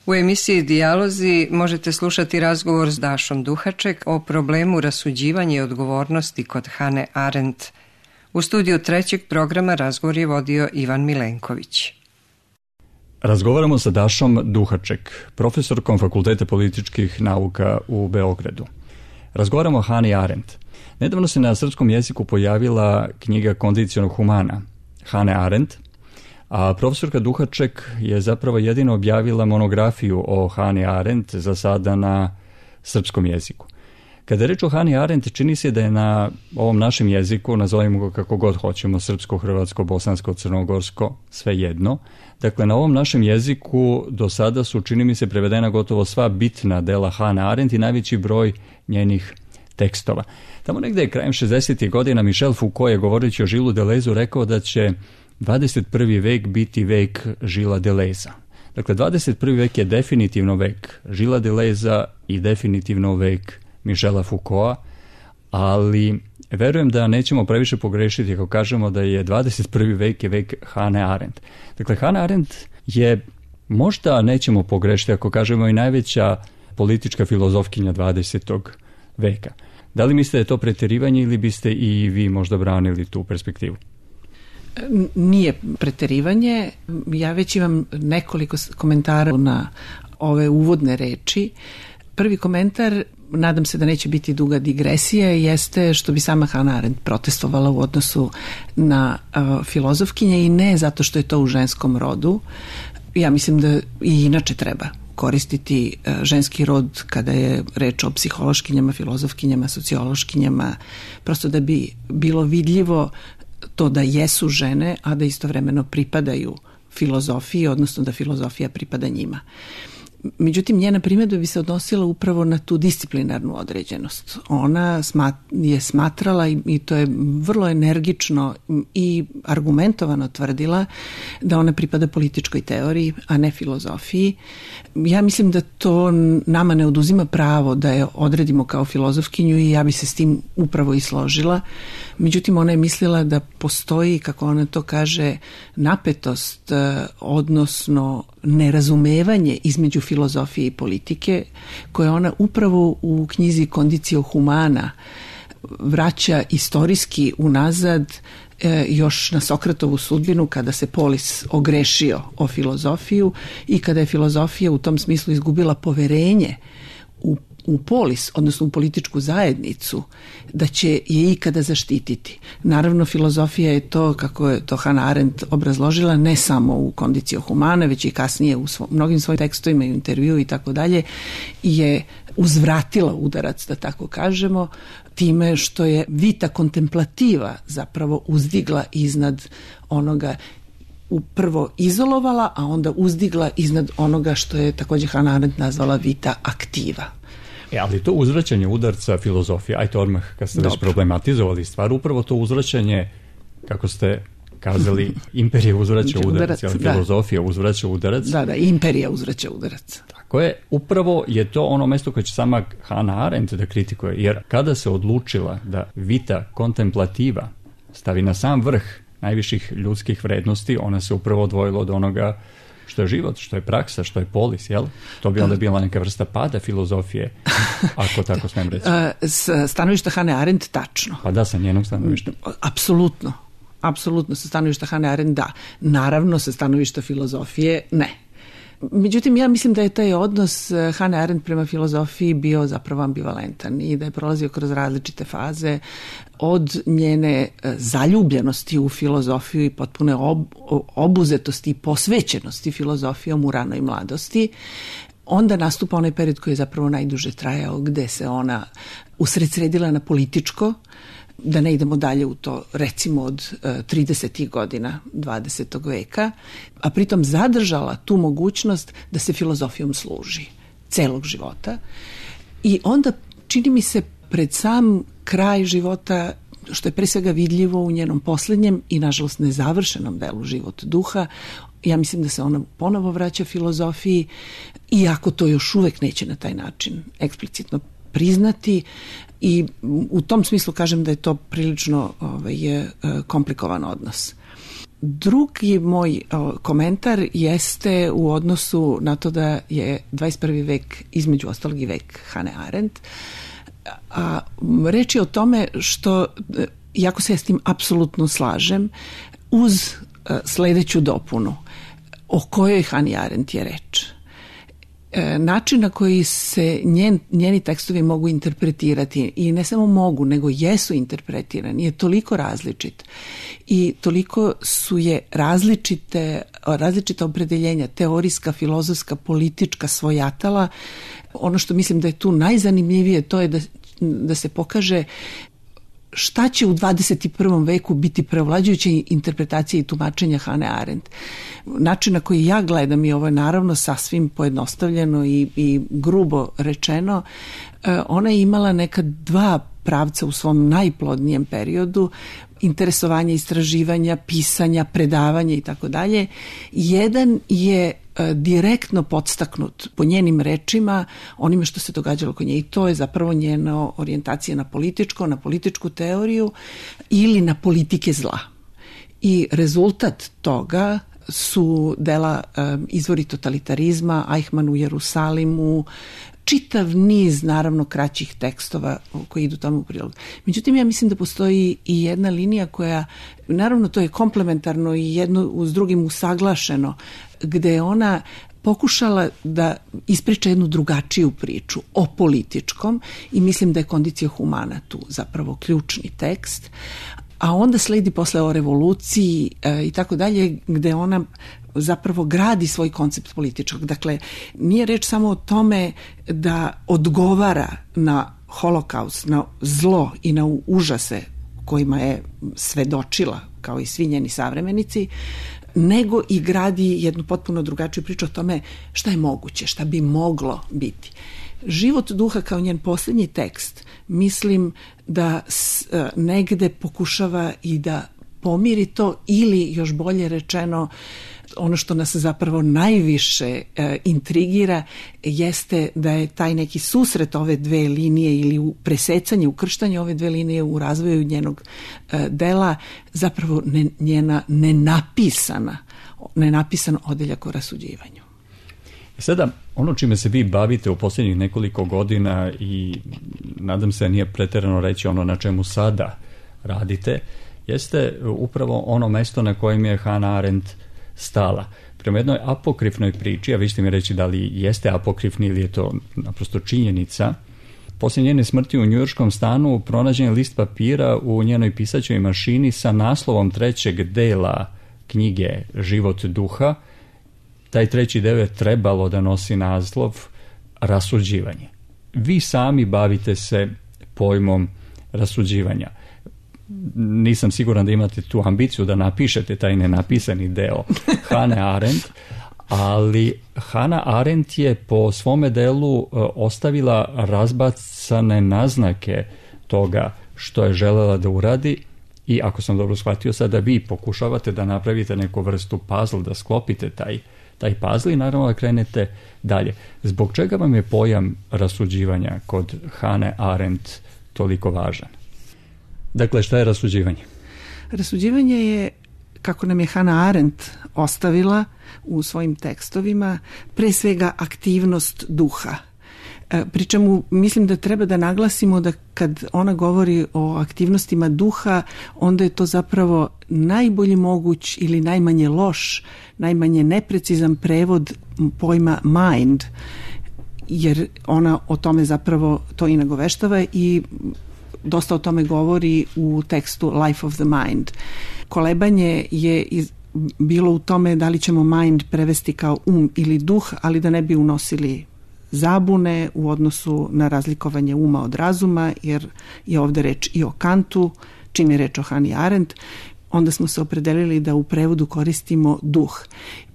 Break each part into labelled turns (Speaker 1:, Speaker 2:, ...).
Speaker 1: U emisiji Dijalozi možete slušati razgovor s Dašom Duhaček o problemu rasuđivanja i odgovornosti kod Hane Arendt. U studiju trećeg programa razgovor je vodio Ivan Milenković.
Speaker 2: Razgovaramo sa Dašom Duhaček, profesorkom Fakulteta političkih nauka u Beogradu. Razgovaramo o Hani Arendt. Nedavno se na srpskom jeziku pojavila knjiga Kondiciono humana Hane Arendt, a profesorka Duhaček je zapravo jedino objavila monografiju o Hani Arendt za sada na srpskom jeziku. Kada je reč o Hani Arendt, čini se da je na ovom našem jeziku, nazovimo ga kako god hoćemo, srpsko, hrvatsko, bosansko, crnogorsko, sve jedno. Dakle, na ovom našem jeziku do sada su, čini mi se, prevedena gotovo sva bitna dela Hane Arendt i najveći broj njenih tekstova. Tamo negde je krajem 60. godina Michel Foucault je, govoreći o Gillesu Deleuzu, rekao da će 21. vek biti vek Gillesa Deleuza. Dakle, 21. vek je definitivno vek Gillesa Deleuza i definitivno vek Michela Foucaulta, ali verujem da nećemo previše pogrešiti ako kažemo da je 21. vek je vek Hane Arendt. Dakle, Hana Arendt je, možda nećemo pogrešiti ako kažemo, i najveća politička filozofkinja 20. veka. Da li mislite da je to preterivanje ili biste i vi možda branili tu perspektivu?
Speaker 3: Nije preterivanje. Ja već imam nekoliko komentara na ove uvodne reči. Prvi komentar, nadam se da neće biti duga digresija, jeste što bi sama Hana Arendt protestovala u odnosu na filozofkinje, i ne zato što je to u ženskom rodu. Ja mislim da i inače treba koristiti ženski rod kada je reč o psihološkinjama, filozofkinjama, sociološkinjama, prosto da bi bilo vidljivo to da jesu žene, a da istovremeno pripadaju filozofiji, odnosno da filozofija pripada njima. Međutim, njena primjedba bi se odnosila upravo na tu disciplinarnu određenost. Ona je smatrala, i to je vrlo energično i argumentovano tvrdila, da ona pripada političkoj teoriji, a ne filozofiji. Ja mislim da to nama ne oduzima pravo da je odredimo kao filozofkinju, i ja bi se s tim upravo i složila. Međutim, ona je mislila da postoji, kako ona to kaže, napetost, odnosno nerazumevanje između filozofije i politike, koje ona upravo u knjizi Condicio humana vraća istorijski unazad, još na Sokratovu sudbinu, kada se Polis ogrešio o filozofiju i kada je filozofija u tom smislu izgubila poverenje u Polis, odnosno u političku zajednicu, da će je ikada zaštititi. Naravno, filozofija je to, kako je to Hana Arendt obrazložila, ne samo u Condicio humana, već i kasnije u mnogim svojim tekstovima i u intervju i tako dalje, je uzvratila udarac, da tako kažemo, time što je vita kontemplativa zapravo uzdigla iznad onoga, prvo izolovala, a onda uzdigla iznad onoga što je također Hana Arendt nazvala vita aktiva.
Speaker 2: Ali to uzvraćanje udarca filozofije, ajte odmah kad ste već problematizovali stvar, upravo to uzvraćanje, kako ste kazali, imperija uzvraća udarac, ali filozofija uzvraća udarac.
Speaker 3: Da, imperija uzvraća udarac.
Speaker 2: Tako je, upravo je to ono mesto koje će sama Hana Arendt da kritikuje, jer kada se odlučila da vita kontemplativa stavi na sam vrh najviših ljudskih vrednosti, ona se upravo odvojila od onoga što je život, što je praksa, što je polis, jel? To bi onda bila neka vrsta pada filozofije, ako tako smijem reći.
Speaker 3: S stanovišta Hane Arendt, tačno.
Speaker 2: Pa da, sa njenog stanovišta.
Speaker 3: Apsolutno sa stanovišta Hane Arendt, da. Naravno, sa stanovišta filozofije, ne. Međutim, ja mislim da je taj odnos Hane Arendt prema filozofiji bio zapravo ambivalentan i da je prolazio kroz različite faze, od njene zaljubljenosti u filozofiju i potpune obuzetosti i posvećenosti filozofijom u ranoj mladosti. Onda nastupa onaj period koji je zapravo najduže trajao, gde se ona usredsredila na političko, da ne idemo dalje u to, recimo od 30. godina 20. veka, a pritom zadržala tu mogućnost da se filozofijom služi celog života. I onda, čini mi se, pred sam kraj života, što je pre svega vidljivo u njenom posljednjem i nažalost nezavršenom delu Život duha, ja mislim da se ona ponovo vraća filozofiji, iako to još uvek neće na taj način eksplicitno priznati, i u tom smislu kažem da je to prilično komplikovan odnos. Drugi moj komentar jeste u odnosu na to da je 21. vek između ostalog i vek Hane Arendt. A reč je o tome što, iako se ja s tim apsolutno slažem, uz sledeću dopunu o kojoj Hani Arendt je reč. Način na koji se njeni tekstovi mogu interpretirati, i ne samo mogu, nego jesu interpretirani, je toliko različit i toliko su je različita opredeljenja, teorijska, filozofska, politička, svojatala. Ono što mislim da je tu najzanimljivije, to je da se pokaže šta će u 21. veku biti preovlađujuća interpretacija i tumačenja Hane Arendt. Način na koji ja gledam, i ovo je naravno sasvim pojednostavljeno i grubo rečeno, ona je imala neka dva pravca u svom najplodnijem periodu, interesovanja, istraživanja, pisanja, predavanja i tako dalje. Jedan je direktno podstaknut po njenim rečima onime što se događalo kod nje, i to je zapravo njena orijentacija na političku teoriju ili na politike zla. I rezultat toga su dela Izvori totalitarizma, Eichmann u Jerusalimu, čitav niz, naravno, kraćih tekstova koji idu tamo u prilog. Međutim, ja mislim da postoji i jedna linija koja, naravno, to je komplementarno i jedno uz drugim usaglašeno, gde je ona pokušala da ispriča jednu drugačiju priču o političkom, i mislim da je Kondicija humana tu zapravo ključni tekst, a onda sledi posle o revoluciji i tako dalje, gde ona zapravo gradi svoj koncept političkog. Dakle, nije reč samo o tome da odgovara na holokaust, na zlo i na užase kojima je svedočila, kao i svi njeni savremenici, nego i gradi jednu potpuno drugačiju priču o tome šta je moguće, šta bi moglo biti. Život duha kao njen posljednji tekst, mislim da negde pokušava i da pomiri to, ili još bolje rečeno, ono što nas zapravo najviše intrigira jeste da je taj neki susret ove dve linije ili presecanje, ukrštanje ove dve linije u razvoju njenog dela zapravo njena nenapisan odeljak o rasuđivanju.
Speaker 2: Sada, ono čime se vi bavite u posljednjih nekoliko godina, i nadam se nije preterano reći ono na čemu sada radite, jeste upravo ono mesto na kojem je Hana Arendt stala. Prema jednoj apokrifnoj priči, a vi ćete mi reći da li jeste apokrifni ili je to naprosto činjenica, poslije njene smrti u njujorškom stanu pronađen je list papira u njenoj pisaćoj mašini sa naslovom trećeg dela knjige Život duha. Taj treći deo je trebalo da nosi naslov Rasuđivanje. Vi sami bavite se pojmom rasuđivanja. Nisam siguran da imate tu ambiciju da napišete taj nenapisani deo Hane Arendt, ali Hana Arendt je po svome delu ostavila razbacane naznake toga što je želela da uradi, i ako sam dobro shvatio, sada vi pokušavate da napravite neku vrstu puzzle, da sklopite taj puzzle i naravno da krenete dalje. Zbog čega vam je pojam rasuđivanja kod Hane Arendt toliko važan? Dakle, šta je rasuđivanje?
Speaker 3: Rasuđivanje je, kako nam je Hana Arendt ostavila u svojim tekstovima, pre svega aktivnost duha. Pričemu mislim da treba da naglasimo da kad ona govori o aktivnostima duha, onda je to zapravo najbolji moguć ili najmanje loš, najmanje neprecizan prevod pojma mind, jer ona o tome zapravo to i nagoveštava i dosta o tome govori u tekstu Life of the Mind. Kolebanje je bilo u tome da li ćemo mind prevesti kao ili duh, ali da ne bi unosili zabune u odnosu na razlikovanje uma od razuma, jer je ovde reč i o Kantu, čim je reč o Hani Arendt, onda smo se opredelili da u prevodu koristimo duh.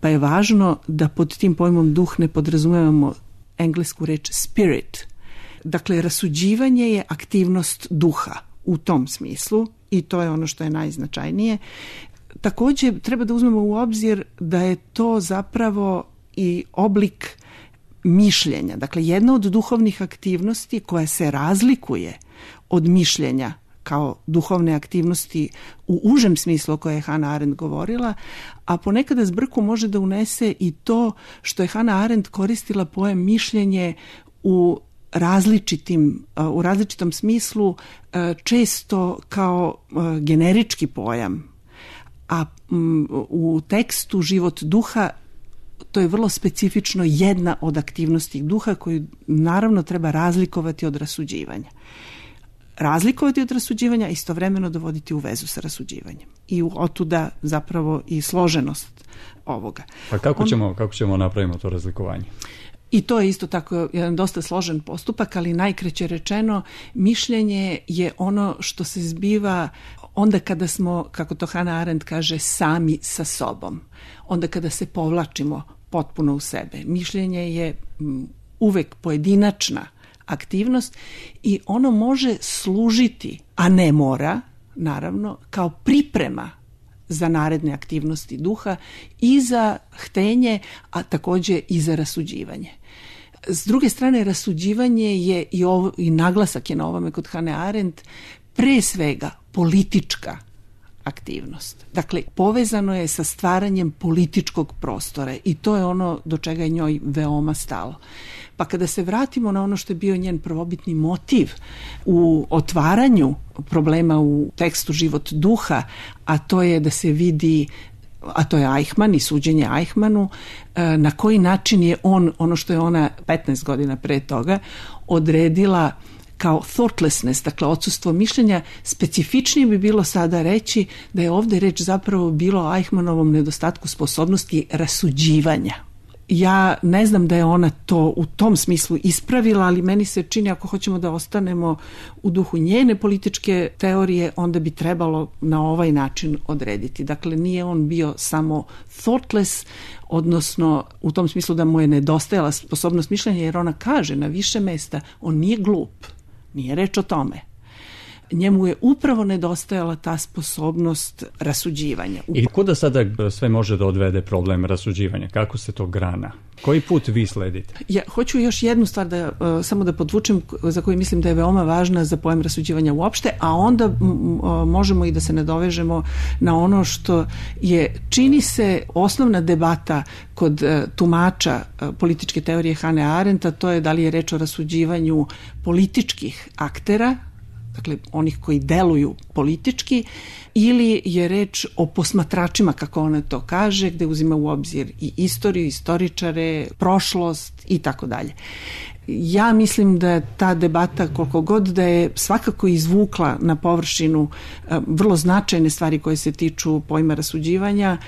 Speaker 3: Pa je važno da pod tim pojmom duh ne podrazumevamo englesku reč spirit. Dakle, rasuđivanje je aktivnost duha u tom smislu i to je ono što je najznačajnije. Također treba da uzmemo u obzir da je to zapravo i oblik mišljenja. Dakle, jedna od duhovnih aktivnosti koja se razlikuje od mišljenja kao duhovne aktivnosti u užem smislu o kojoj je Hannah Arendt govorila, a ponekada zbrku može da unese i to što je Hannah Arendt koristila pojam mišljenje u različitom smislu, često kao generički pojam, a u tekstu Život duha to je vrlo specifično jedna od aktivnosti duha koju naravno treba razlikovati od rasuđivanja. Razlikovati od rasuđivanja, istovremeno dovoditi u vezu sa rasuđivanjem. I otuda zapravo i složenost ovoga.
Speaker 2: Pa kako ćemo napraviti to razlikovanje?
Speaker 3: I to je isto tako jedan dosta složen postupak, ali najkraće rečeno, mišljenje je ono što se zbiva onda kada smo, kako to Hannah Arendt kaže, sami sa sobom. Onda kada se povlačimo potpuno u sebe. Mišljenje je uvek pojedinačna aktivnost i ono može služiti, a ne mora, naravno, kao priprema za naredne aktivnosti duha i za htenje, a također i za rasuđivanje. S druge strane, rasuđivanje je i naglasak je na ovome kod Hannah Arendt, pre svega politička aktivnost. Dakle, povezano je sa stvaranjem političkog prostora i to je ono do čega je njoj veoma stalo. Pa kada se vratimo na ono što je bio njen prvobitni motiv u otvaranju problema u tekstu Život duha, a to je da se vidi, a to je Eichmann i suđenje Eichmannu, na koji način je on, ono što je ona 15 godina pre toga, odredila kao thoughtlessness, dakle odsustvo mišljenja. Specifičnije bi bilo sada reći da je ovdje reč zapravo bilo o Eichmannovom nedostatku sposobnosti rasuđivanja. Ja ne znam da je ona to u tom smislu ispravila, ali meni se čini, ako hoćemo da ostanemo u duhu njene političke teorije, onda bi trebalo na ovaj način odrediti. Dakle, nije on bio samo thoughtless, odnosno u tom smislu da mu je nedostajala sposobnost mišljenja, jer ona kaže na više mesta, on nije glup, nije reč o tome. Njemu je upravo nedostajala ta sposobnost rasuđivanja.
Speaker 2: I kuda sada sve može da odvede problem rasuđivanja? Kako se to grana? Koji put vi sledite?
Speaker 3: Ja hoću još jednu stvar samo da podvučem, za koju mislim da je veoma važna za pojam rasuđivanja uopšte, a onda možemo i da se nadovežemo na ono što je, čini se, osnovna debata kod tumača političke teorije Hannah Arendta, to je da li je reč o rasuđivanju političkih aktera, dakle onih koji deluju politički, ili je reč o posmatračima, kako ona to kaže, gde uzima u obzir i istoriju, istoričare, prošlost i tako dalje. Ja mislim da ta debata, koliko god da je svakako izvukla na površinu vrlo značajne stvari koje se tiču pojma rasuđivanja,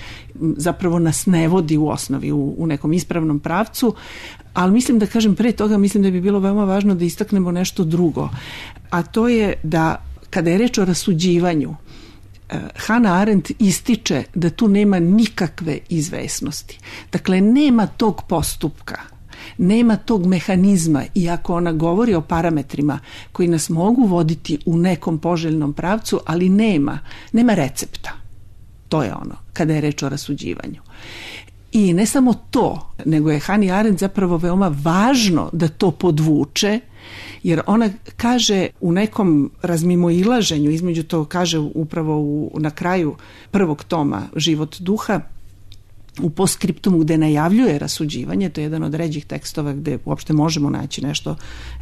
Speaker 3: zapravo nas ne vodi u osnovi u nekom ispravnom pravcu, ali mislim da kažem pre toga, mislim da bi bilo veoma važno da istaknemo nešto drugo, a to je da kada je reč o rasuđivanju, Hannah Arendt ističe da tu nema nikakve izvesnosti. Dakle, nema tog postupka, nema tog mehanizma, iako ona govori o parametrima koji nas mogu voditi u nekom poželjnom pravcu, ali nema recepta. To je ono, kada je reč o rasuđivanju. I ne samo to, nego je Hannah Arendt zapravo veoma važno da to podvuče, jer ona kaže u nekom razmimoilaženju, između to kaže upravo na kraju prvog toma Život duha, u postskriptumu gde najavljuje rasuđivanje, to je jedan od ređih tekstova gde uopšte možemo naći nešto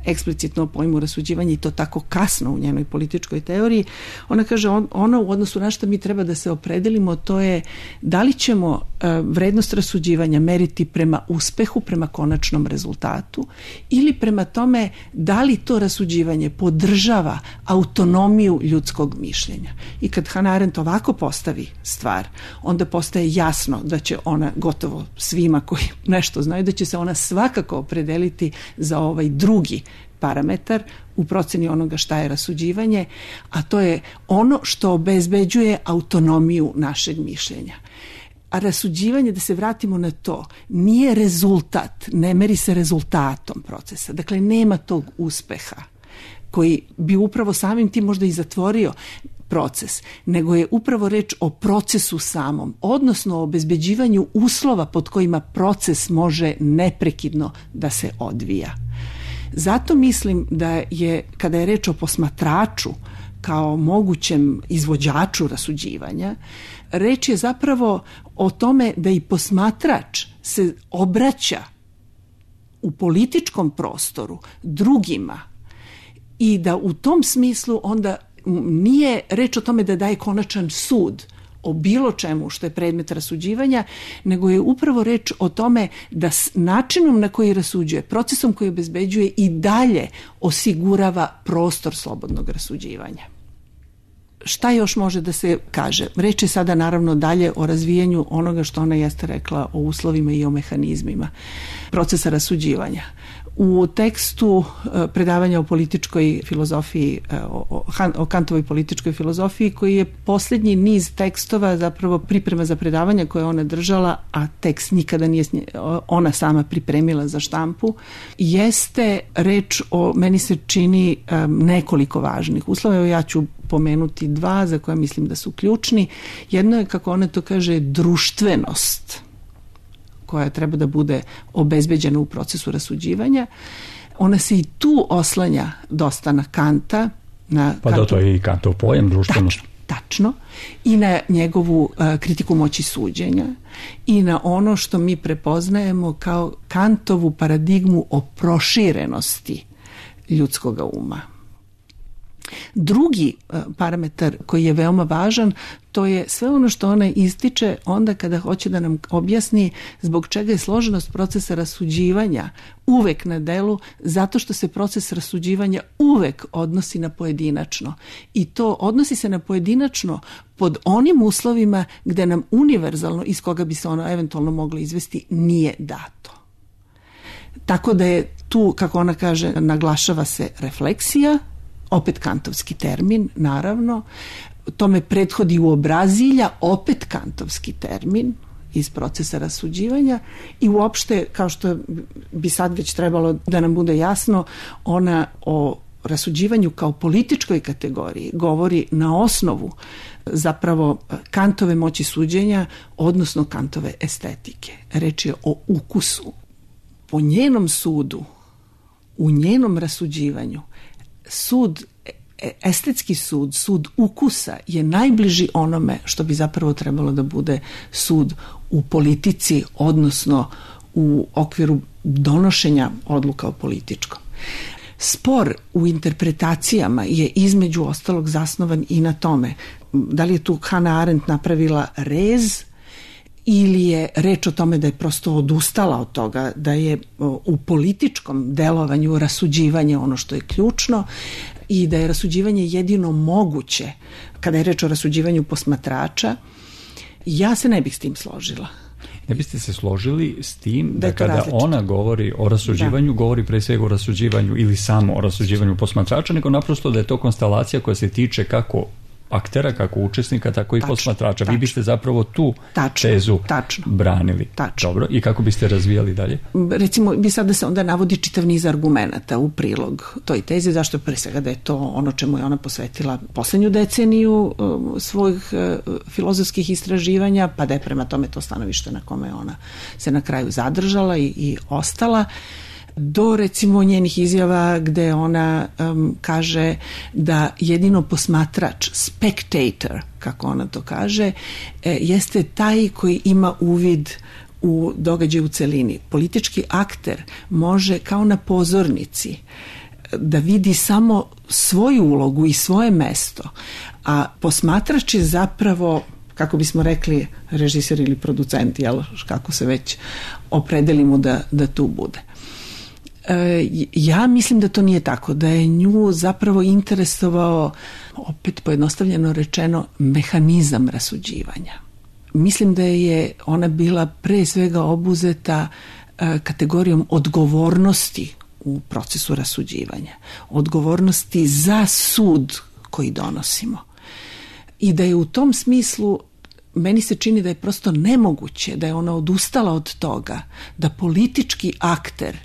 Speaker 3: eksplicitno o pojmu rasuđivanja i to tako kasno u njenoj političkoj teoriji. Ona kaže ono u odnosu na što mi treba da se opredelimo, to je da li ćemo vrednost rasuđivanja meriti prema uspehu, prema konačnom rezultatu, ili prema tome da li to rasuđivanje podržava autonomiju ljudskog mišljenja. I kad Hannah Arendt ovako postavi stvar, onda postaje jasno da će ona gotovo svima koji nešto znaju, da će se ona svakako opredeliti za ovaj drugi parametar u proceni onoga šta je rasuđivanje, a to je ono što obezbeđuje autonomiju našeg mišljenja. A rasuđivanje, da se vratimo na to, nije rezultat, ne meri se rezultatom procesa. Dakle, nema tog uspeha koji bi upravo samim tim možda i zatvorio proces, nego je upravo reč o procesu samom, odnosno o obezbeđivanju uslova pod kojima proces može neprekidno da se odvija. Zato mislim da je, kada je reč o posmatraču kao mogućem izvođaču rasuđivanja, reč je zapravo o tome da i posmatrač se obraća u političkom prostoru drugima i da u tom smislu onda nije reč o tome da daje konačan sud o bilo čemu što je predmet rasuđivanja, nego je upravo reč o tome da s načinom na koji rasuđuje, procesom koji obezbeđuje i dalje osigurava prostor slobodnog rasuđivanja. Šta još može da se kaže? Reč je sada naravno dalje o razvijanju onoga što ona jeste rekla o uslovima i o mehanizmima procesa rasuđivanja. U tekstu predavanja o političkoj filozofiji, o Kantovoj političkoj filozofiji, koji je posljednji niz tekstova, zapravo priprema za predavanja koje ona držala, a tekst nikada nije ona sama pripremila za štampu, jeste reč o, meni se čini, nekoliko važnih uslova. Ja ću pomenuti dva za koje mislim da su ključni. Jedno je, kako ona to kaže, društvenost koja treba da bude obezbeđena u procesu rasuđivanja. Ona se i tu oslanja dosta na Kanta.
Speaker 2: To je i Kantov pojam društvenost.
Speaker 3: Tačno. I na njegovu kritiku moći suđenja i na ono što mi prepoznajemo kao Kantovu paradigmu o proširenosti ljudskog uma. Drugi parametar koji je veoma važan, to je sve ono što ona ističe onda kada hoće da nam objasni zbog čega je složenost procesa rasuđivanja uvek na delu, zato što se proces rasuđivanja uvek odnosi na pojedinačno. I to odnosi se na pojedinačno pod onim uslovima gde nam univerzalno, iz koga bi se ono eventualno moglo izvesti, nije dato. Tako da je tu, kako ona kaže, naglašava se refleksija, opet kantovski termin, naravno. Tome prethodi uobrazilja, opet kantovski termin iz procesa rasuđivanja i uopšte, kao što bi sad već trebalo da nam bude jasno, ona o rasuđivanju kao političkoj kategoriji govori na osnovu zapravo Kantove moći suđenja, odnosno Kantove estetike. Reč je o ukusu. Po njenom sudu, u njenom rasuđivanju, sud, estetski sud, sud ukusa je najbliži onome što bi zapravo trebalo da bude sud u politici, odnosno u okviru donošenja odluka o političkom. Spor u interpretacijama je između ostalog zasnovan i na tome da li je tu Hannah Arendt napravila rez ili je reč o tome da je prosto odustala od toga, da je u političkom delovanju rasuđivanje ono što je ključno i da je rasuđivanje jedino moguće kada je reč o rasuđivanju posmatrača. Ja se ne bih s tim složila.
Speaker 2: Ne biste se složili s tim da kada različito. Ona govori o rasuđivanju, govori pre svega o rasuđivanju ili samo o rasuđivanju posmatrača, nego naprosto da je to konstelacija koja se tiče kako aktera, kako učesnika, tako i posmatrača. Vi biste zapravo tu tezu branili. Dobro, i kako biste razvijali dalje?
Speaker 3: Recimo, bi sad da se onda navodi čitav niz argumenata u prilog toj tezi, zašto pre svega da je to ono čemu je ona posvetila poslednju deceniju svojih filozofskih istraživanja, pa da je prema tome to stanovište na kome ona se na kraju zadržala i ostala, do recimo njenih izjava gde ona kaže da jedino posmatrač, spectator, kako ona to kaže, jeste taj koji ima uvid u događaj u celini. Politički akter može kao na pozornici da vidi samo svoju ulogu i svoje mesto, a posmatrač je zapravo, kako bismo rekli, režiser ili producent, jel, kako se već opredelimo da tu bude. Ja mislim da to nije tako, da je nju zapravo interesovao, opet pojednostavljeno rečeno, mehanizam rasuđivanja. Mislim da je ona bila pre svega obuzeta kategorijom odgovornosti u procesu rasuđivanja, odgovornosti za sud koji donosimo. I da je u tom smislu, meni se čini da je prosto nemoguće, da je ona odustala od toga, da politički akter,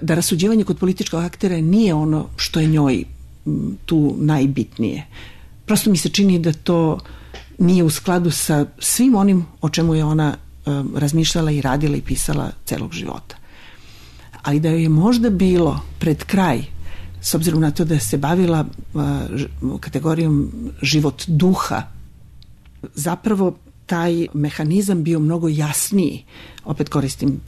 Speaker 3: da rasuđivanje kod političkog aktera nije ono što je njoj tu najbitnije. Prosto mi se čini da to nije u skladu sa svim onim o čemu je ona razmišljala i radila i pisala celog života. Ali da joj je možda bilo pred kraj s obzirom na to da se bavila kategorijom život duha, zapravo taj mehanizam bio mnogo jasniji. Opet koristim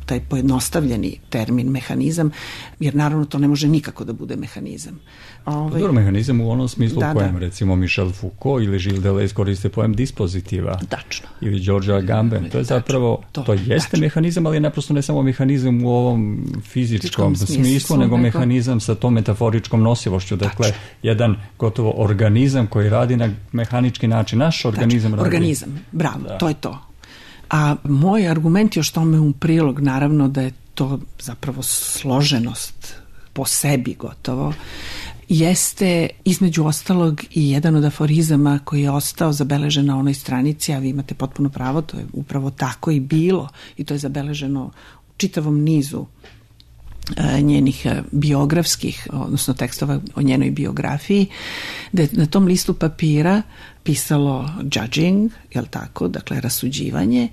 Speaker 3: taj pojednostavljeni termin mehanizam, jer naravno to ne može nikako da bude mehanizam.
Speaker 2: Dobro, mehanizam u onom smislu u kojem recimo Michel Foucault ili Gilles Deleuze koriste pojem dispozitiva.
Speaker 3: Tačno.
Speaker 2: Ili George Agamben. To je zapravo, to jeste mehanizam, ali je naprosto ne samo mehanizam u ovom fizičkom smislu, nego mehanizam sa tom metaforičkom nosivošću. Dakle, jedan gotovo organizam koji radi na mehanički način. Naš organizam radi.
Speaker 3: Organizam, bravo, to je to. A moj argument još tome u prilog, naravno da je to zapravo složenost po sebi gotovo, jeste između ostalog i jedan od aforizama koji je ostao zabeležen na onoj stranici, a vi imate potpuno pravo, to je upravo tako i bilo i to je zabeleženo u čitavom nizu njenih biografskih, odnosno tekstova o njenoj biografiji, da je na tom listu papira pisalo judging, jel tako, dakle rasuđivanje,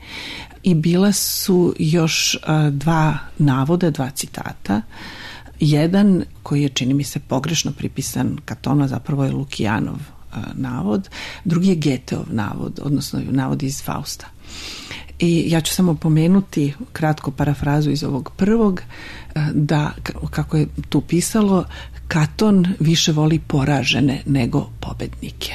Speaker 3: i bila su još dva navoda, dva citata. Jedan koji je, čini mi se, pogrešno pripisan Katonu, zapravo je Lukijanov navod, drugi je Goetheov navod, odnosno navod iz Fausta. I ja ću samo pomenuti kratko parafrazu iz ovog prvog, da, kako je tu pisalo, Katon više voli poražene nego pobednike.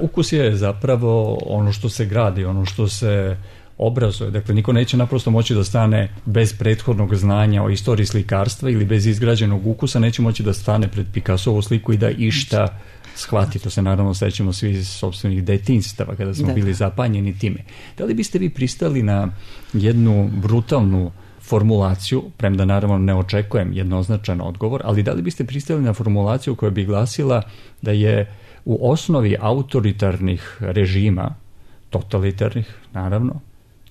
Speaker 2: Ukus je zapravo ono što se gradi, ono što se obrazuje. Dakle, niko neće naprosto moći da stane bez prethodnog znanja o istoriji slikarstva ili bez izgrađenog ukusa, neće moći da stane pred Picassovu sliku i da išta shvati. To se naravno sećamo svi iz sopstvenih detinjstava kada smo bili zapanjeni time. Da li biste vi pristali na jednu brutalnu formulaciju, premda naravno ne očekujem jednoznačan odgovor, ali da li biste pristali na formulaciju koja bi glasila da je u osnovi autoritarnih režima, totalitarnih naravno,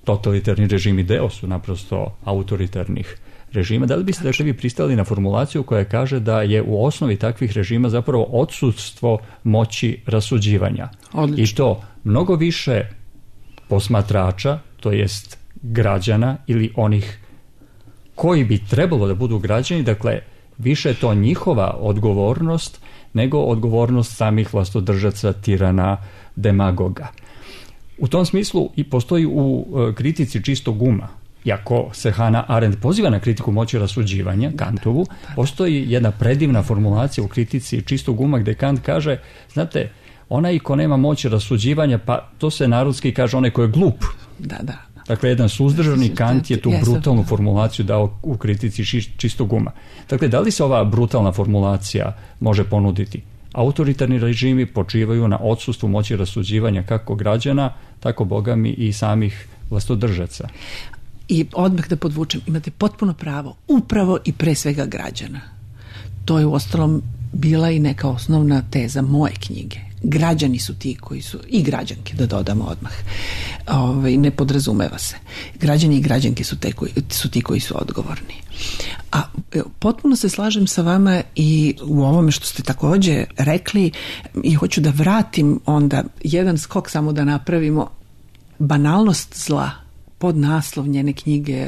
Speaker 2: totalitarni režimi deo su naprosto autoritarnih režima, da li biste dakle vi pristali na formulaciju koja kaže da je u osnovi takvih režima zapravo odsustvo moći rasuđivanja?
Speaker 3: Odlično.
Speaker 2: I to mnogo više posmatrača, to jest građana ili onih koji bi trebalo da budu građani, dakle više je to njihova odgovornost nego odgovornost samih vlastodržaca, tirana, demagoga. U tom smislu i postoji u kritici čistog uma, iako se Hannah Arendt poziva na kritiku moći rasuđivanja, Kantovu, postoji jedna predivna formulacija u kritici čistog uma gde Kant kaže, znate, onaj ko nema moći rasuđivanja, pa to se narodski kaže onaj ko je glup.
Speaker 3: Da.
Speaker 2: Dakle, jedan suzdržani Kant je tu brutalnu formulaciju dao u kritici čistog uma. Dakle, da li se ova brutalna formulacija može ponuditi? Autoritarni režimi počivaju na odsustvu moći rasuđivanja kako građana, tako bogami i samih vlastodržaca.
Speaker 3: I odmah da podvučem, imate potpuno pravo, upravo i pre svega građana. To je uostalom bila i neka osnovna teza moje knjige. Građani su ti koji su, i građanke da dodamo odmah, ne podrazumeva se. Građani i građanke su ti koji su odgovorni. A potpuno se slažem sa vama i u ovome što ste takođe rekli i hoću da vratim onda jedan skok samo da napravimo. Banalnost zla, pod naslov njene knjige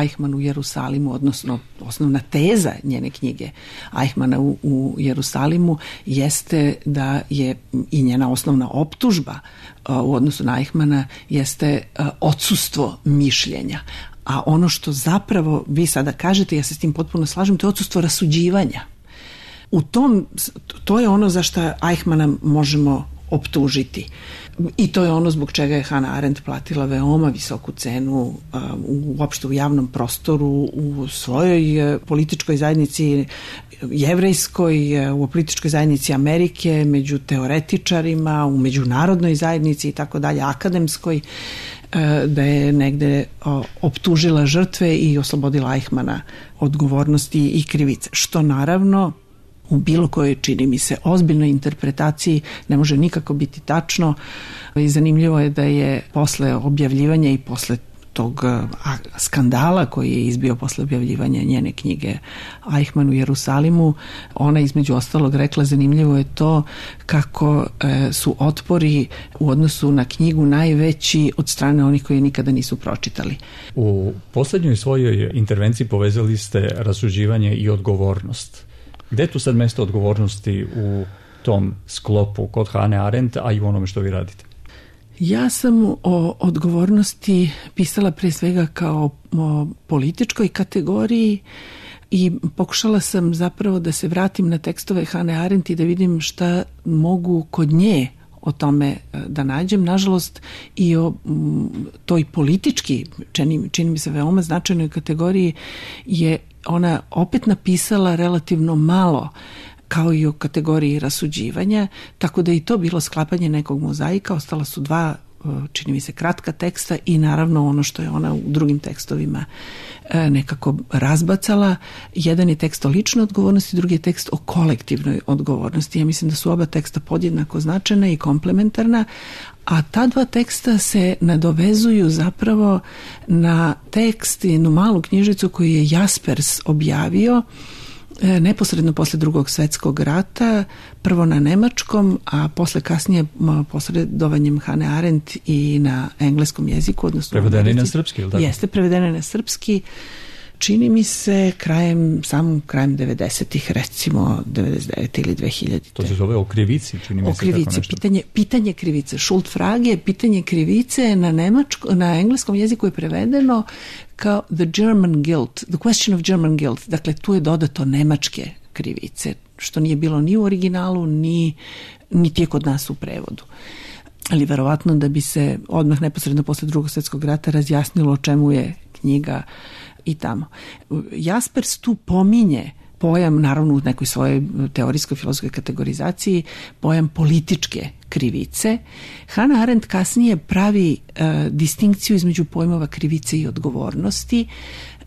Speaker 3: Eichmann u Jerusalimu, odnosno osnovna teza njene knjige Eichmanna u Jerusalimu jeste da je i njena osnovna optužba u odnosu na Eichmanna jeste odsustvo mišljenja. A ono što zapravo vi sada kažete, ja se s tim potpuno slažem, to je odsustvo rasuđivanja. To je ono za što Eichmanna možemo optužiti. I to je ono zbog čega je Hannah Arendt platila veoma visoku cenu uopšte u javnom prostoru, u svojoj političkoj zajednici jevrejskoj, u političkoj zajednici Amerike, među teoretičarima, u međunarodnoj zajednici i tako dalje, akademskoj, da je negde optužila žrtve i oslobodila Eichmanna odgovornosti i krivice. Što naravno u bilo kojoj, čini mi se, ozbiljnoj interpretaciji ne može nikako biti tačno. I zanimljivo je da je posle objavljivanja i posle tog skandala koji je izbio posle objavljivanja njene knjige Eichmann u Jerusalimu, ona između ostalog rekla, zanimljivo je to kako su otpori u odnosu na knjigu najveći od strane onih koji nikada nisu pročitali.
Speaker 2: U poslednjoj svojoj intervenciji povezali ste rasuđivanje i odgovornost. Gde je tu sad mesto odgovornosti u tom sklopu kod Hane Arendt, a i u onome što vi radite?
Speaker 3: Ja sam o odgovornosti pisala pre svega kao o političkoj kategoriji i pokušala sam zapravo da se vratim na tekstove Hane Arendt i da vidim šta mogu kod nje o tome da nađem. Nažalost, i o toj politički, čini mi se veoma značajnoj kategoriji, je ona opet napisala relativno malo, kao i o kategoriji rasuđivanja, tako da i to bilo sklapanje nekog mozaika. Ostala su dva, čini mi se, kratka teksta i naravno ono što je ona u drugim tekstovima nekako razbacala. Jedan je tekst o ličnoj odgovornosti, drugi je tekst o kolektivnoj odgovornosti. Ja mislim da su oba teksta podjednako značajna i komplementarna, a ta dva teksta se nadovezuju zapravo na tekst, jednu malu knjižicu koju je Jaspers objavio neposredno posle Drugog svjetskog rata, prvo na nemačkom, a posle kasnije posredovanjem Hane Arendt i na engleskom jeziku.
Speaker 2: Prevedene na srpski, ili tako?
Speaker 3: Jeste, prevedene na srpski. Čini mi se krajem 90-ih, recimo 99 ili 2000.
Speaker 2: To se zove o krivici, čini mi se.
Speaker 3: O krivici, pitanje krivice. Schuldfrage, pitanje krivice na engleskom jeziku je prevedeno kao the German guilt, the question of German guilt. Dakle, tu je dodato nemačke krivice, što nije bilo ni u originalu, niti je kod nas u prevodu. Ali verovatno da bi se odmah neposredno posle Drugog svjetskog rata razjasnilo o čemu je knjiga i tamo. Jaspers tu pominje pojam, naravno u nekoj svojoj teorijskoj filozofskoj kategorizaciji, pojam političke krivice. Hannah Arendt kasnije pravi distinkciju između pojmova krivice i odgovornosti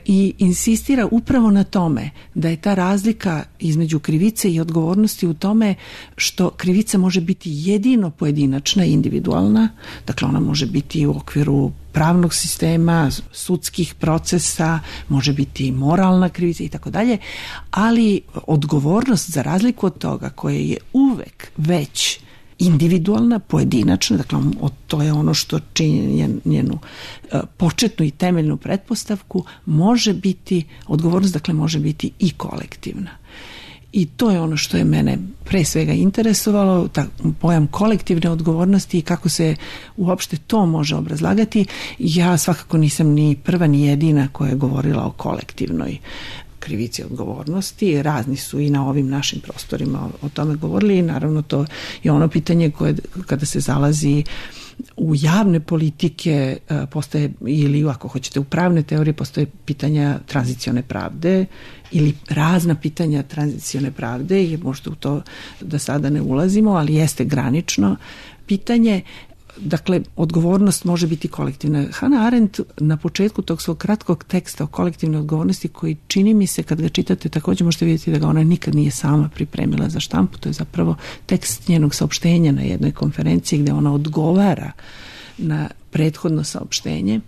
Speaker 3: i insistira upravo na tome da je ta razlika između krivice i odgovornosti u tome što krivica može biti jedino pojedinačna i individualna, dakle ona može biti u okviru pravnog sistema, sudskih procesa, može biti moralna krivica i tako dalje, ali odgovornost za razliku od toga koje je uvek već individualna, pojedinačna, dakle to je ono što čini njenu početnu i temeljnu pretpostavku, može biti, odgovornost dakle može biti i kolektivna. I to je ono što je mene pre svega interesovalo, pojam kolektivne odgovornosti i kako se uopšte to može obrazlagati. Ja svakako nisam ni prva ni jedina koja je govorila o kolektivnoj krivici odgovornosti. Razni su i na ovim našim prostorima o tome govorili i naravno to je ono pitanje koje kada se zalazi u javne politike postoje, ili ako hoćete u pravne teorije, postoje pitanja tranzicione pravde ili razna pitanja tranzicione pravde i možda u to da sada ne ulazimo, ali jeste granično pitanje. Dakle, odgovornost može biti kolektivna. Hannah Arendt na početku tog svog kratkog teksta o kolektivnoj odgovornosti, koji čini mi se kad ga čitate također možete vidjeti da ga ona nikad nije sama pripremila za štampu, to je zapravo tekst njenog saopštenja na jednoj konferenciji gdje ona odgovara na prethodno saopštenje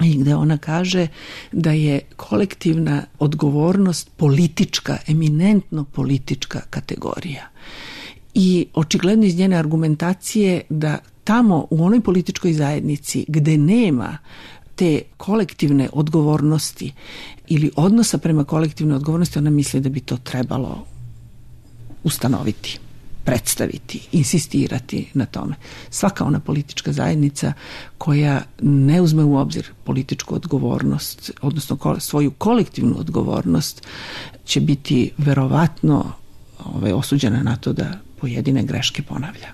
Speaker 3: i gdje ona kaže da je kolektivna odgovornost politička, eminentno politička kategorija. I očigledno iz njene argumentacije da tamo u onoj političkoj zajednici gde nema te kolektivne odgovornosti ili odnosa prema kolektivnoj odgovornosti, ona misli da bi to trebalo ustanoviti, predstaviti, insistirati na tome. Svaka ona politička zajednica koja ne uzme u obzir političku odgovornost, odnosno svoju kolektivnu odgovornost, će biti verovatno osuđena na to da pojedine greške ponavlja.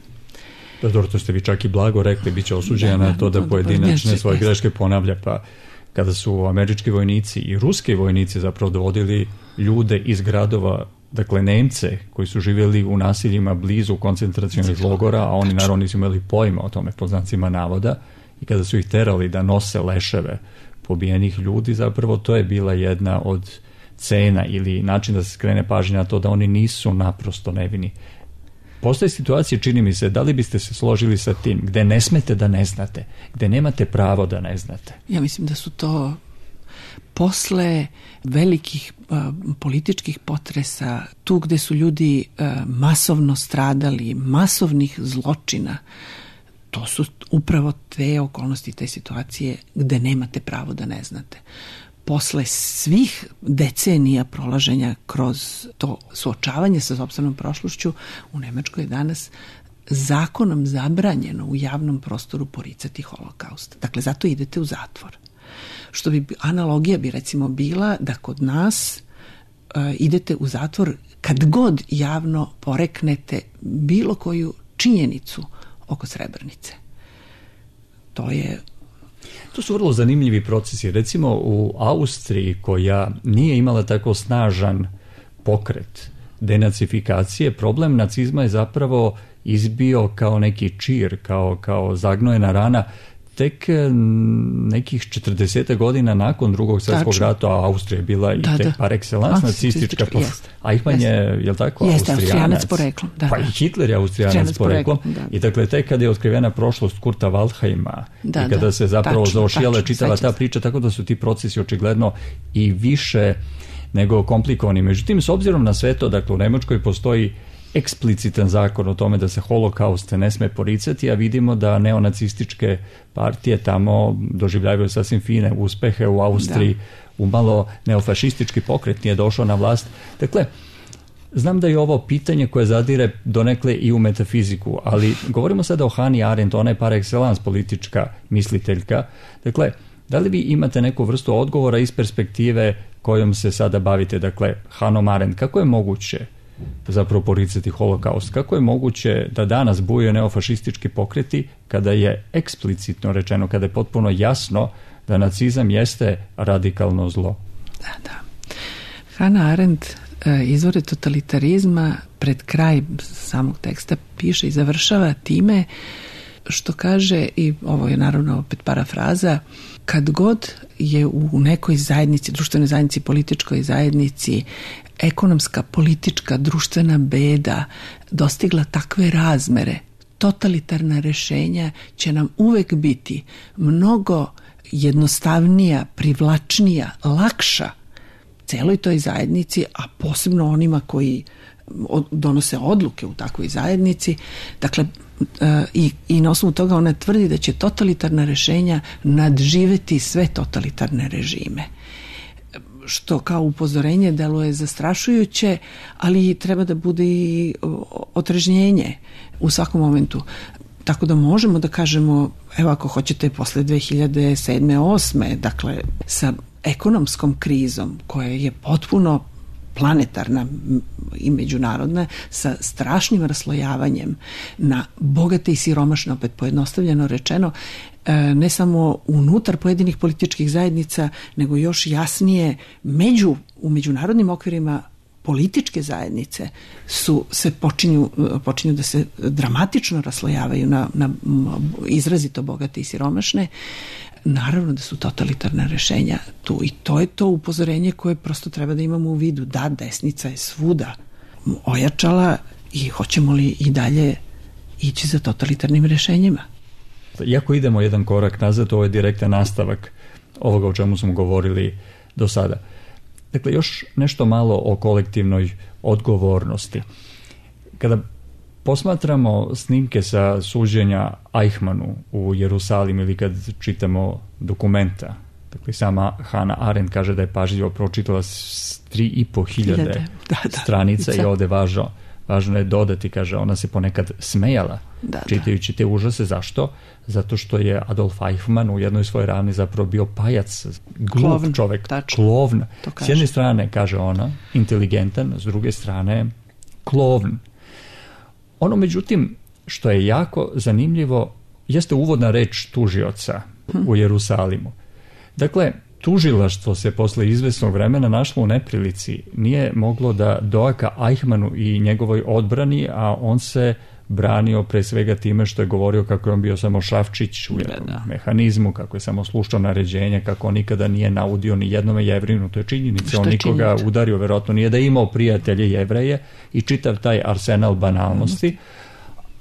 Speaker 2: Da, dobro, to ste vi čak i blago rekli, bit će osuđena na to da pojedinačne svoje greške ponavlja, pa kada su američki vojnici i ruski vojnici zapravo dovodili ljude iz gradova, dakle Nemce koji su živjeli u naseljima blizu koncentracionih logora, a oni naravno nisu imali pojma o tome, pod znacima navoda, i kada su ih terali da nose leševe pobijenih ljudi, zapravo to je bila jedna od cena ili način da se skrene pažnja na to da oni nisu naprosto nevini. Postoje situacije, čini mi se, da li biste se složili sa tim, gde ne smete da ne znate, gde nemate pravo da ne znate?
Speaker 3: Ja mislim da su to posle velikih političkih potresa, tu gde su ljudi masovno stradali, masovnih zločina, to su upravo te okolnosti, te situacije gde nemate pravo da ne znate. posle svih decenija prolaženja kroz to suočavanje sa sopstvenom prošlošću, u Nemačkoj je danas zakonom zabranjeno u javnom prostoru poricati holokaust. Dakle, zato idete u zatvor. Što bi analogija bi recimo bila da kod nas idete u zatvor kad god javno poreknete bilo koju činjenicu oko Srebrenice.
Speaker 2: To su vrlo zanimljivi procesi. Recimo u Austriji, koja nije imala tako snažan pokret denacifikacije, problem nacizma je zapravo izbio kao neki čir, kao zagnojena rana tek nekih 40 godina nakon Drugog svjetskog rata, a Austrija je bila i par excellence nacistička. Eichmann je, jel tako, Austrijanac
Speaker 3: poreklom.
Speaker 2: Pa i Hitler je Austrijanac poreklom. I dakle, tek kada je otkrivena prošlost Kurta Waldheima i kada se zapravo zaošijala čitava ta priča, tako da su ti procesi očigledno i više nego komplikovani. Međutim, s obzirom na sve to, dakle, u Nemačkoj postoji eksplicitan zakon o tome da se holokaust ne sme poricati, a vidimo da neonacističke partije tamo doživljavaju sasvim fine uspehe u Austriji, umalo neofašistički pokret nije došao na vlast. Dakle, znam da je ovo pitanje koje zadire donekle i u metafiziku, ali govorimo sada o Hannah Arendt, ona je par excellence politička misliteljka. Dakle, da li vi imate neku vrstu odgovora iz perspektive kojom se sada bavite? Dakle, Hannah Arendt, kako je moguće zapravo poricati holokaust? Kako je moguće da danas bujaju neofašistički pokreti kada je eksplicitno rečeno, kada je potpuno jasno da nacizam jeste radikalno zlo?
Speaker 3: Da. Hannah Arendt izvore totalitarizma pred kraj samog teksta piše i završava time što kaže, i ovo je naravno opet parafraza, kad god je u nekoj zajednici, društvenoj zajednici, političkoj zajednici, ekonomska, politička, društvena beda dostigla takve razmere, totalitarna rešenja će nam uvek biti mnogo jednostavnija, privlačnija, lakša celoj toj zajednici, a posebno onima koji donose odluke u takvoj zajednici. Dakle, i na osnovu toga ona tvrdi da će totalitarna rešenja nadživeti sve totalitarne režime. Što kao upozorenje deluje zastrašujuće, ali treba da bude i otrežnjenje u svakom momentu. Tako da možemo da kažemo, evo ako hoćete posle 2007. 2008. dakle sa ekonomskom krizom koja je potpuno planetarna i međunarodna, sa strašnim raslojavanjem na bogate i siromašne, opet pojednostavljeno rečeno, ne samo unutar pojedinih političkih zajednica, nego još jasnije u međunarodnim okvirima političke zajednice se počinju da se dramatično raslojavaju na izrazito bogate i siromašne. Naravno da su totalitarna rešenja tu i to je to upozorenje koje prosto treba da imamo u vidu. Da, desnica je svuda ojačala i hoćemo li i dalje ići za totalitarnim rešenjima.
Speaker 2: Iako idemo jedan korak nazad, ovo je direktan nastavak ovoga o čemu smo govorili do sada. Dakle, još nešto malo o kolektivnoj odgovornosti. Kada posmatramo snimke sa suđenja Eichmannu u Jerusalimu ili kad čitamo dokumenta, dakle sama Hannah Arendt kaže da je pažljivo pročitala 3.500 stranica i ovde važno je dodati, kaže, ona se ponekad smejala čitajući te užase. Zašto? Zato što je Adolf Eichmann u jednoj svojoj ravni zapravo bio pajac, glup čovek, klovn. S jedne strane, kaže ona, inteligentan, s druge strane klovn. Ono, međutim, što je jako zanimljivo, jeste uvodna reč tužioca u Jerusalimu. Dakle, tužilaštvo se posle izvesnog vremena našlo u neprilici. Nije moglo da doaka Eichmannu i njegovoj odbrani, a on se branio pre svega time što je govorio kako je on bio samo šafčić u jednom mehanizmu, kako je samo slušao naređenja, kako on nikada nije naudio ni jednome Jevrinu. To je činjenica. On nikoga udario, verovatno nije da je imao prijatelje Jevreje i čitav taj arsenal banalnosti,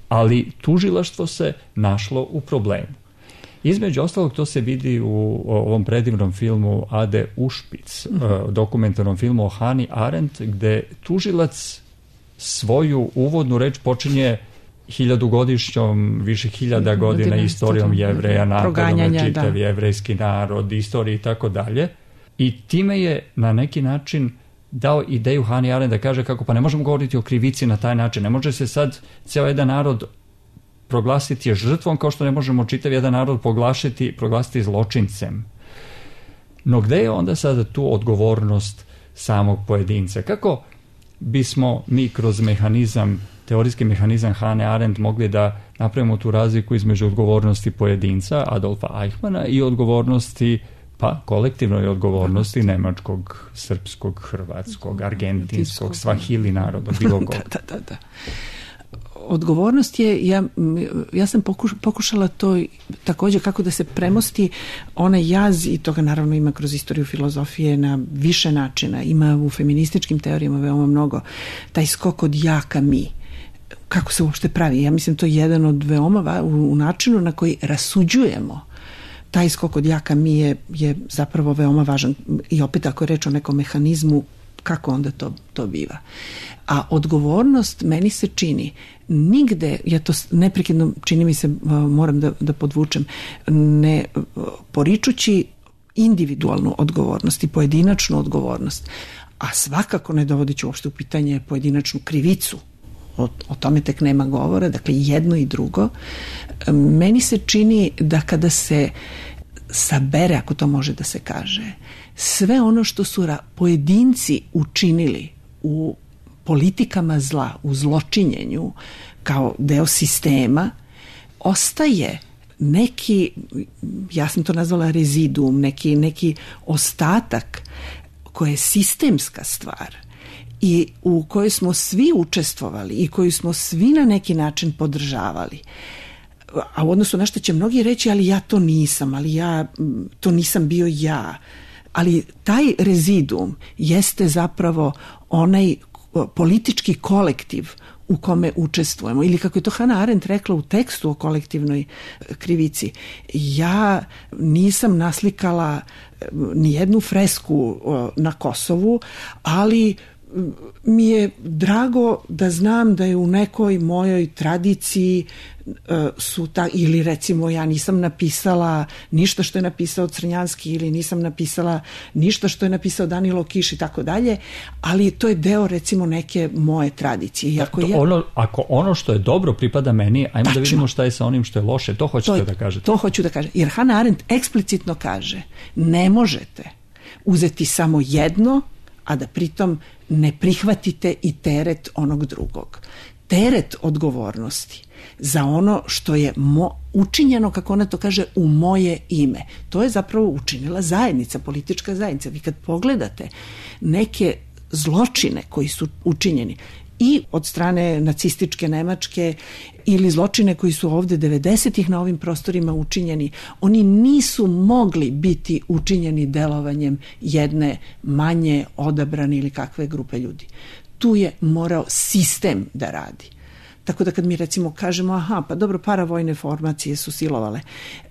Speaker 2: ali tužilaštvo se našlo u problemu. Između ostalog, to se vidi u ovom predivnom filmu Ade Ušpic, dokumentarnom filmu o Hannah Arendt, gde tužilac svoju uvodnu reč počinje 1000-godišnjom, više 1000 godina istorijom Jevreja, napadom na čitav jevrejski narod, istoriji i tako dalje, I time je na neki način dao ideju Hannah Arendt da kaže kako pa ne možemo govoriti o krivici na taj način. Ne može se sad cijel jedan narod proglasiti je žrtvom kao što ne možemo čitav jedan narod proglasiti zločincem. No gde je onda sada tu odgovornost samog pojedinca? Kako bismo mi kroz teorijski mehanizam Hannah Arendt mogli da napravimo tu razliku između odgovornosti pojedinca Adolfa Eichmanna i odgovornosti, pa kolektivnoj odgovornosti nemačkog, srpskog, hrvatskog, argentinskog, svahili naroda, bilo kog.
Speaker 3: Da. Odgovornost je, ja sam pokušala to također kako da se premosti onaj jaz, i toga naravno ima kroz istoriju filozofije na više načina, ima u feminističkim teorijama veoma mnogo, taj skok od ja ka mi. Kako se uopšte pravi? Ja mislim to je jedan od veoma u načinu na koji rasuđujemo. Taj skok od ja ka mi je zapravo veoma važan. I opet ako je reč o nekom mehanizmu, kako onda to biva? A odgovornost meni se čini nigde, ja to neprekidno čini mi se, moram da podvučem, ne poričući individualnu odgovornost i pojedinačnu odgovornost, a svakako ne dovodeći uopšte u pitanje pojedinačnu krivicu. O tome tek nema govora, dakle jedno i drugo. Meni se čini da kada se sabere, ako to može da se kaže, sve ono što su pojedinci učinili u politikama zla, u zločinjenju kao deo sistema, ostaje neki, ja sam to nazvala rezidum, neki ostatak koji je sistemska stvar i u kojoj smo svi učestvovali i koju smo svi na neki način podržavali. A u odnosu na što će mnogi reći, ali ja to nisam, to nisam bio ja. Ali taj rezidum jeste zapravo onaj politički kolektiv u kome učestvujemo. Ili kako je to Hannah Arendt rekla u tekstu o kolektivnoj krivici, ja nisam naslikala ni jednu fresku na Kosovu, ali mi je drago da znam da je u nekoj mojoj tradiciji ili recimo ja nisam napisala ništa što je napisao Crnjanski ili nisam napisala ništa što je napisao Danilo Kiš i tako dalje, ali to je deo recimo neke moje tradicije.
Speaker 2: Ako ono što je dobro pripada meni, ajmo tačno da vidimo šta je sa onim što je loše, to hoćete da kažete.
Speaker 3: To hoću da kažem, jer Hannah Arendt eksplicitno kaže, ne možete uzeti samo jedno, a da pritom ne prihvatite i teret onog drugog. Teret odgovornosti za ono što je učinjeno, kako ona to kaže, u moje ime. To je zapravo učinila zajednica, politička zajednica. Vi kad pogledate neke zločine koji su učinjeni i od strane nacističke Nemačke ili zločine koji su ovde 90-ih na ovim prostorima učinjeni, oni nisu mogli biti učinjeni delovanjem jedne manje odabrane ili kakve grupe ljudi. Tu je morao sistem da radi. Tako da kad mi recimo kažemo, pa dobro, paravojne formacije su silovale.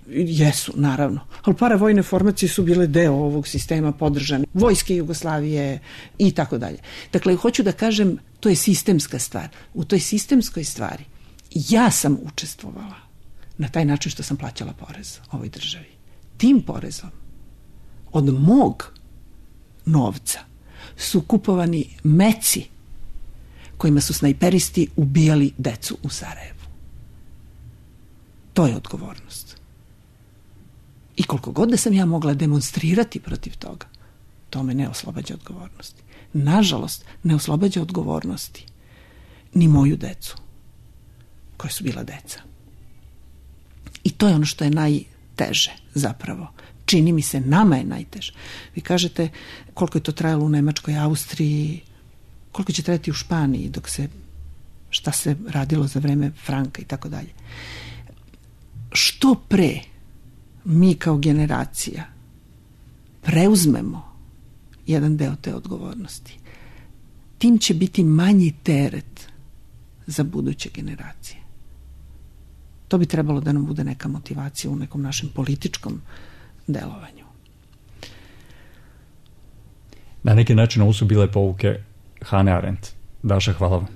Speaker 3: Jesu, naravno. Ali paravojne formacije su bile deo ovog sistema podržane. Vojske Jugoslavije i tako dalje. Dakle, hoću da kažem, to je sistemska stvar. U toj sistemskoj stvari ja sam učestvovala na taj način što sam plaćala porez ovoj državi. Tim porezom od mog novca su kupovani meci kojima su snajperisti ubijali decu u Sarajevu. To je odgovornost. I koliko god da sam ja mogla demonstrirati protiv toga, to me ne oslobađa odgovornosti. Nažalost, ne oslobađa odgovornosti ni moju decu, koja su bila deca. I to je ono što je najteže zapravo. Čini mi se, nama je najteže. Vi kažete koliko je to trajalo u Nemačkoj, Austriji, koliko će trajati u Španiji šta se radilo za vreme Franka i tako dalje. Što pre mi kao generacija preuzmemo jedan deo te odgovornosti, tim će biti manji teret za buduće generacije. To bi trebalo da nam bude neka motivacija u nekom našem političkom delovanju.
Speaker 2: Na neki način ovo su bile pouke Hannah Arendt. Daša, hvala vam.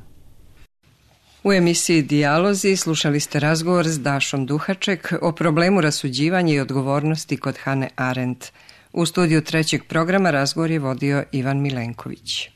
Speaker 1: U emisiji Dijalozi slušali ste razgovor s Dašom Duhaček o problemu rasuđivanja i odgovornosti kod Hannah Arendt. U studiju trećeg programa razgovor je vodio Ivan Milenković.